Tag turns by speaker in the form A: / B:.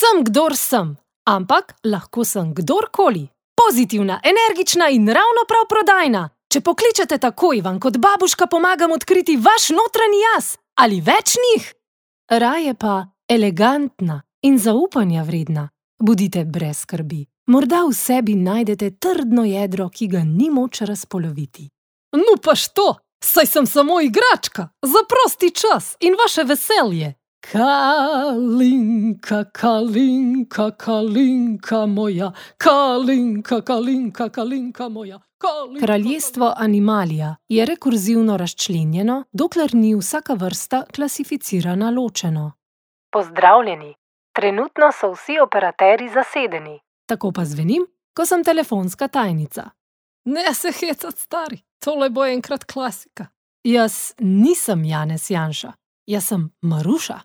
A: Sem, kdor sem, ampak lahko sem kdorkoli. Pozitivna, energična in ravno prav prodajna. Če pokličete takoj, vam kot babuška pomagam odkriti vaš notranji jaz ali več njih. Raje pa elegantna in zaupanja vredna. Budite brez skrbi. Morda v sebi najdete trdno jedro, ki ga ni moč razpoloviti. No pa što, saj sem samo igračka, za prosti čas in vaše veselje. Kalinka, kalinka, kalinka moja, kalinka, kalinka, kalinka moja. Kraljestvo Animalia je rekurzivno razčlenjeno, dokler ni vsaka vrsta klasificirana ločeno. Pozdravljeni, trenutno so vsi operaterji zasedeni. Tako pa zvenim, ko sem telefonska tajnica. Ne se hecat, stari, tole bo enkrat klasika. Jaz nisem Janez Janša, jaz sem Maruša.